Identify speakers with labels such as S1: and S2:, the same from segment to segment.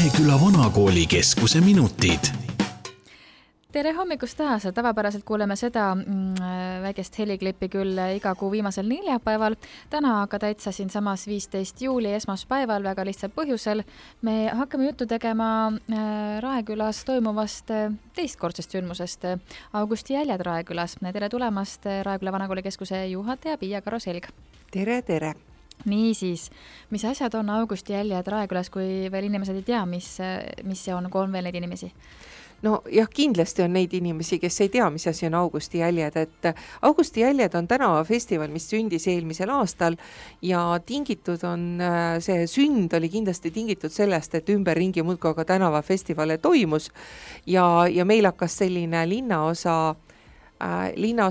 S1: Raeküla Vanakooli keskuse minutid.
S2: Tere hommikust taas. Tavapäraselt kuuleme seda väikest heliklippi küll iga kuu viimasel neljapäeval. Täna aga täitsa siin samas 15. juuli esmaspäeval väga lihtsal põhjusel. Me hakkame juttu tegema Raekülas toimuvast teistkordsest sündmusest Augusti jäljed Raekülas. Tere tulemast Raeküla Vanakooli keskuse juhataja Piia Karo-Selg.
S3: Tere!
S2: Niisiis, mis asjad on Augusti jäljed Raekülas, kui veel inimesed ei tea, mis see on, kui on veel neid inimesi?
S3: No jah, kindlasti on neid inimesi, kes ei tea, mis asi on Augusti jäljed, et Augusti jäljed on tänavafestival, mis sündis eelmisel aastal ja tingitud on, see sünd oli kindlasti tingitud sellest, et ümberringi muudkui aga tänavafestivale toimus ja meil hakkas selline linnaosa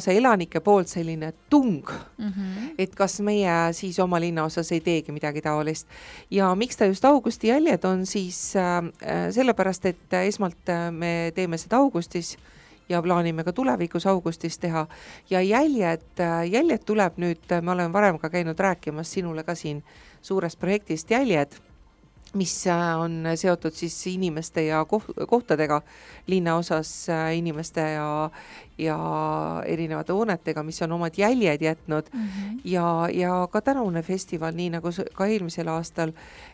S3: elanike poolt selline tung, et kas meie siis oma linnaosas ei teegi midagi taolist. Ja miks ta just Augusti jäljed on siis sellepärast, et esmalt me teeme seda augustis ja plaanime ka tulevikus augustis teha ja jäljed tuleb nüüd, me oleme varem ka käinud rääkimas sinule ka siin suurest projektist Jäljed, mis on seotud siis inimeste ja kohtadega linnaosas, inimeste ja erinevate hoonetega, mis on omad jäljed jätnud ja ka tänavune festival, nii nagu ka eelmisel aastal,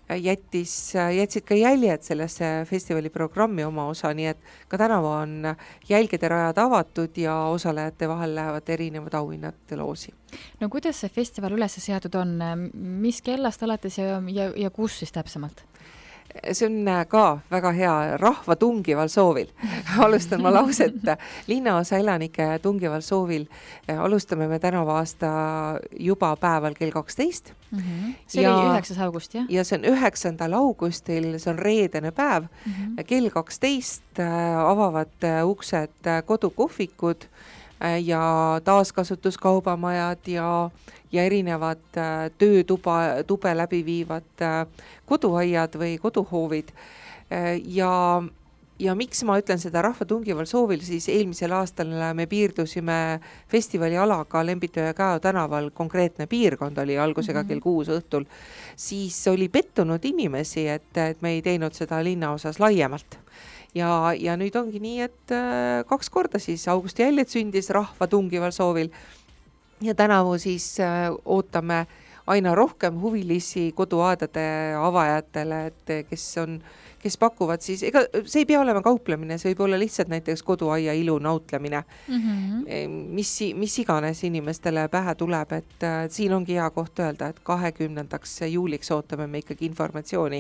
S3: jätsid ka jäljed sellesse festivali programmi oma osa, nii et ka tänavu on jälgede rajad avatud ja osalejate vahel lähevad erinevad auhinnad loosi.
S2: No kuidas see festival üles seatud on? Mis kellast alates ja kus siis täpsemalt?
S3: See on ka väga hea rahva tungival soovil. Alustan ma lauset. Linnaosa elanike tungival soovil alustame me tänavu aasta juba päeval kell 12.
S2: See oli 9. august, jah?
S3: Ja see on 9. augustil, see on reedene päev. Kell 12 avavad uksed kodukohvikud ja taaskasutuskaubamajad ja erinevad töötube läbi viivad koduaiad või koduhoovid. Ja miks ma ütlen seda rahva tungival soovil, siis eelmisel aastal me piirdusime festivali alaga Lembitu ja Käo tänaval, konkreetne piirkond oli algusega kell 6 õhtul, siis oli pettunud inimesi, et me ei teinud seda linnaosas laiemalt. Ja nüüd ongi nii, et 2 korda siis Augusti jäljed sündis rahva tungival soovil ja tänavu siis ootame aina rohkem huvilisi koduaedade avajatele, et kes pakuvad siis, ega see ei pea olema kauplemine, see võib olla lihtsalt näiteks koduaia ilu nautlemine, mis iganes inimestele pähe tuleb, et siin ongi hea koht öelda, et 20. juuliks ootame me ikkagi informatsiooni,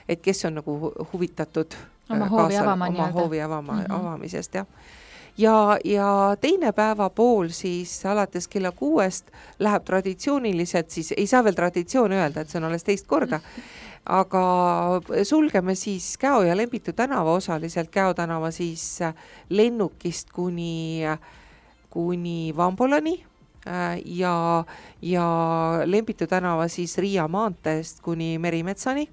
S3: et kes on nagu huvitatud
S2: oma hoovi
S3: avamisest, jah. Ja teine päevapool siis alates kella 6 läheb traditsiooniliselt, siis ei saa veel traditsioon öelda, et see on alles teist korda, aga sulgeme siis Käo ja Lembitu tänava osaliselt, Käo tänava siis lennukist kuni Vambolani ja Lembitu tänava siis Riia maanteest kuni Merimetsani.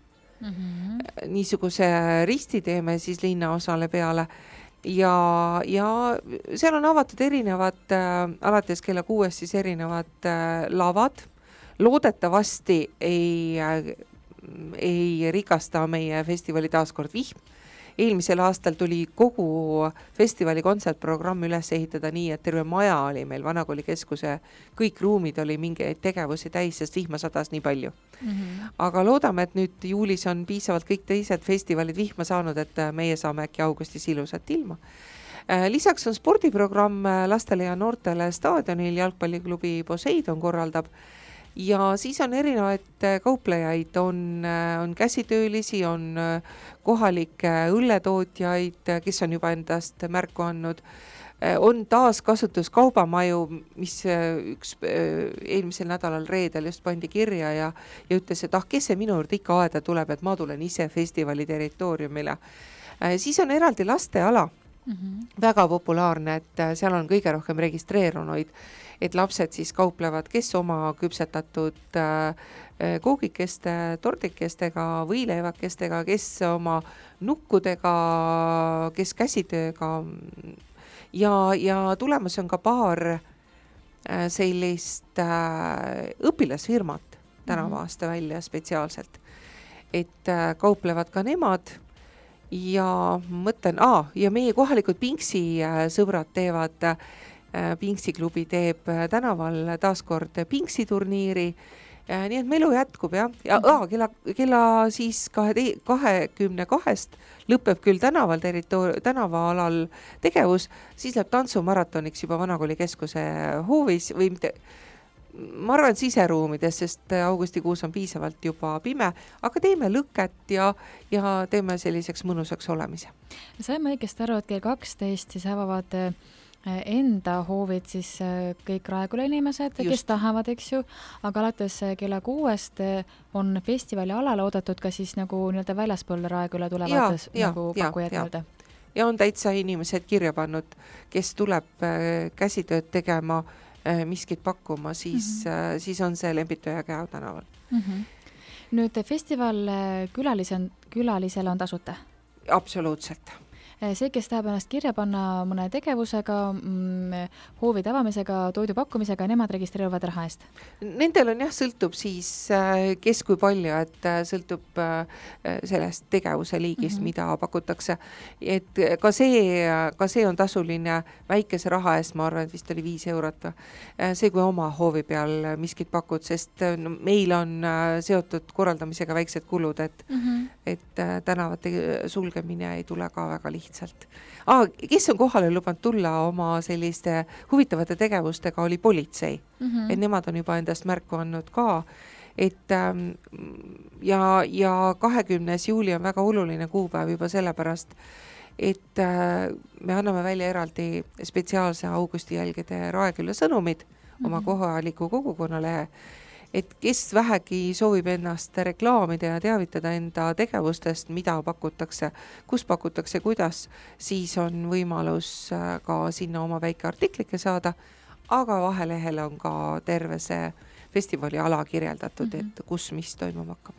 S3: Niisuguse risti teeme siis linnaosale peale ja seal on avatud erinevad, alates kella 6 siis erinevad lavad. Loodetavasti ei rikasta meie festivali taaskord vihm. Eelmisel aastal tuli kogu festivali kontsertprogramm üles ehitada nii, et terve maja oli meil Vanakooli keskuse, kõik ruumid oli mingeid tegevusi täis, sest vihma sadas nii palju. Aga loodame, et nüüd juulis on piisavalt kõik teised festivalid vihma saanud, et meie saame äkki augustis ilusat ilma. Lisaks on spordiprogramm lastele ja noortele staadionil, jalgpalliklubi Poseidon korraldab. Ja siis on erinevaid kauplejaid, on käsitöölisi, on kohalikke õlletootjaid, kes on juba endast märku andnud, on taaskasutuskaubamaju, mis üks eelmisel nädalal reedel just pandi kirja ja ütles, et kes see minu juurde ikka aeda tuleb, et ma tulen ise festivali territooriumile. Siis on eraldi lasteala, väga populaarne, et seal on kõige rohkem registreerunuid, et lapsed siis kauplevad, kes oma küpsetatud koogikeste, tordikestega, võileivakestega, kes oma nukkudega, kes käsitööga ja tulemas on ka paar sellist õpilasfirmat tänava aasta välja spetsiaalselt, et kauplevad ka nemad ja mõtlen, ja meie kohalikud Pinksi sõbrad teevad, Pinksi klubi teeb tänaval taaskord Pinksi turniiri, nii et melu jätkub ja kella siis 22 lõpeb küll tänavaalal tegevus, siis läheb tantsumaratoniks juba Vanakooli keskuse hoovis või mitte, ma arvan siseruumides, sest augustikuus on piisavalt juba pime, aga teeme lõket ja teeme selliseks mõnusaks olemise.
S2: Saime õigesti aru, et kell 12 siis avavad enda hoovid siis kõik Raeküla inimesed, kes tahavad, eks ju, aga alates kella 6 on festivali alale oodatud ka siis nagu nii-öelda väljaspool Raeküla tulevad nagu pakkujad nii-öelda.
S3: Ja on täitsa inimesed kirja pannud, kes tuleb käsitööd tegema, miskit pakkuma, siis on see Lembitoja Käo tänaval.
S2: Nüüd festival külalisele on tasuta?
S3: Absoluutselt.
S2: See, kes tahab ennast kirja panna mõne tegevusega, hoovide avamisega, toidu pakkumisega, nemad registreeruvad raha eest?
S3: Nendel on sõltub siis kes kui palju, et sõltub sellest tegevuse liigist, mida pakutakse. Et ka see on tasuline väikese raha eest, ma arvan, et vist oli 5 eurot. See, kui oma hoovi peal miskit pakud, sest meil on seotud korraldamisega väiksed kulud, et tänavate sulgemine ei tule ka väga lihtsalt. Kes on kohale lubanud tulla oma selliste huvitavate tegevustega, oli politsei. Et nemad on juba endast märku andnud ka. Et, ja 20. juuli on väga oluline kuupäev juba sellepärast, et me anname välja eraldi spetsiaalse augustijälgede Raeküla sõnumid oma kohaliku kogukonnale, et kes vähegi soovib ennast reklaamida ja teavitada enda tegevustest, mida pakutakse, kus pakutakse, kuidas, siis on võimalus ka sinna oma väike artiklike saada, aga vahelehel on ka terve see festivali ala kirjeldatud, et kus mis toimuma hakkab.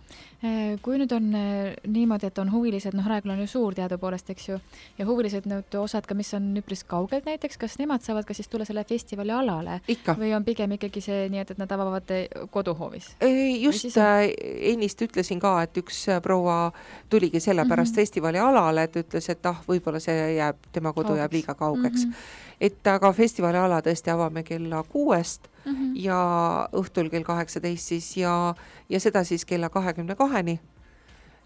S2: Kui nüüd on niimoodi, et on huvilised, Raeküla on ju suur teadupoolest, eks ju, ja huvilised nüüd osad ka, mis on üpris kaugelt näiteks, kas nemad saavad ka siis tulla selle festivali alale?
S3: Ikka.
S2: Või on pigem ikkagi see nii, et nad avavad koduhoovis?
S3: Just ennist ütlesin ka, et üks proua tuligi selle pärast festivali alale, et ütles, et võib-olla see jääb, tema kodu jääb liiga kaugeks. Et aga festivali ala tõesti avame kella 6 ja õhtul kell 18 siis ja seda siis kella 22-ni.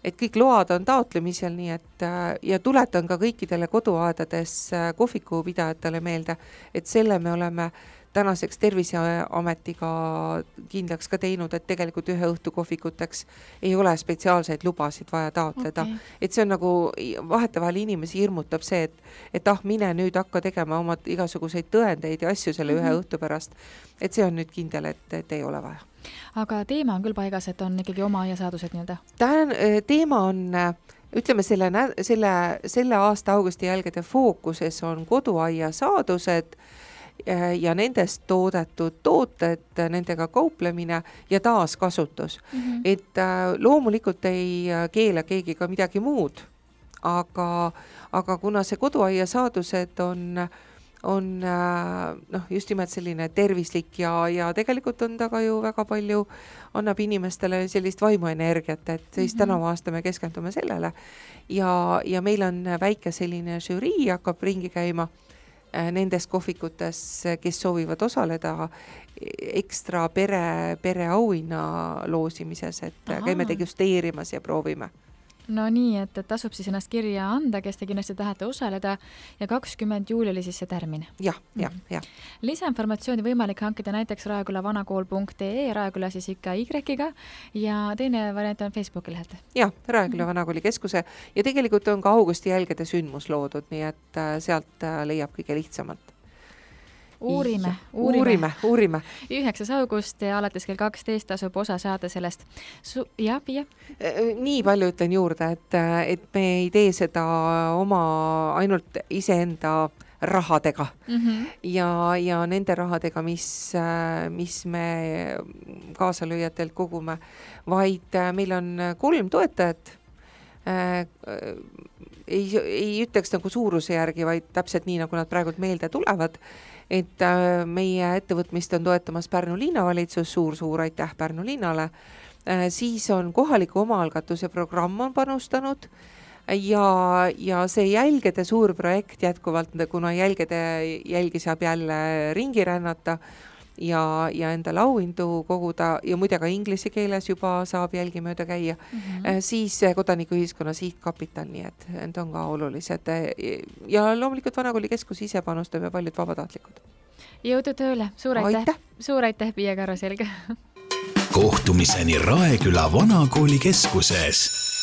S3: Et kõik load on taotlemisel, nii et ja tuletan ka kõikidele koduaedades kohvikupidajatele meelde, et selle me oleme tänaseks Terviseametiga kindlaks ka teinud, et tegelikult ühe õhtu kohvikuteks ei ole spetsiaalseid lubasid vaja taotleda. Et see on nagu vahetevahel inimesi hirmutab see, et mine nüüd hakka tegema oma igasuguseid tõendeid ja asju selle ühe õhtu pärast. Et see on nüüd kindel, et ei ole vaja.
S2: Aga teema on küll paigas, et on ikkagi oma aiasaadused nii-öelda?
S3: Teema on, ütleme, selle aasta augusti jälgede fookuses on koduaiasaadused ja nendest toodetud tooted, nendega kauplemine ja taaskasutus. Et loomulikult ei keela keegi ka midagi muud, aga kuna see koduaiasaadused on just nimelt selline tervislik ja tegelikult on ta ka ju väga palju, annab inimestele sellist vaimuenergiat, et siis tänavu aasta me keskendume sellele ja meil on väike selline žürii hakkab ringi käima nendes kohvikutes, kes soovivad osaleda ekstra pere auhinna loosimises, et käime degusteerimas ja proovime.
S2: No nii, et tasub siis ennast kirja anda, kes te kindlasti tahate osaleda ja 20. juuli oli siis see tärmin.
S3: Ja.
S2: Lisainformatsiooni võimalik hankida näiteks raekülavaanakool.ee, Raeküla siis ikka Y-ga ja teine variant on Facebooki lehelt.
S3: Ja, Raeküla Vanakooli keskuse ja tegelikult on ka augusti jälgede sündmus loodud, nii et sealt leiab kõige lihtsamalt.
S2: Uurime.
S3: 9.
S2: august ja alates kell 12 tasub osa saada sellest. Pia?
S3: Nii palju ütlen juurde, et me ei tee seda oma ainult iseenda rahadega ja nende rahadega, mis me kaasalööjatelt kogume, vaid meil on 3 toetajat. Ei ütleks nagu suuruse järgi, vaid täpselt nii, nagu nad praegult meelde tulevad. Et meie ettevõtmist on toetamas Pärnu linnavalitsus, suur aitäh Pärnu linnale. Siis on kohaliku omaalgatuse programm on panustanud ja see jälgede suur projekt jätkuvalt, kuna jälgi saab jälle ringi rännata ja endale auhindu koguda ja muide ka inglise keeles juba saab jälgi mööda käia, siis Kodanikuühiskonna Sihtkapital, nii et need on ka olulised ja loomulikult Vanakooli keskus ise panustab ja paljud vabatahtlikud.
S2: Jõudu tööle, suur aitäh, Piia Karuselg.
S1: Kohtumiseni Raeküla Vanakooli keskuses.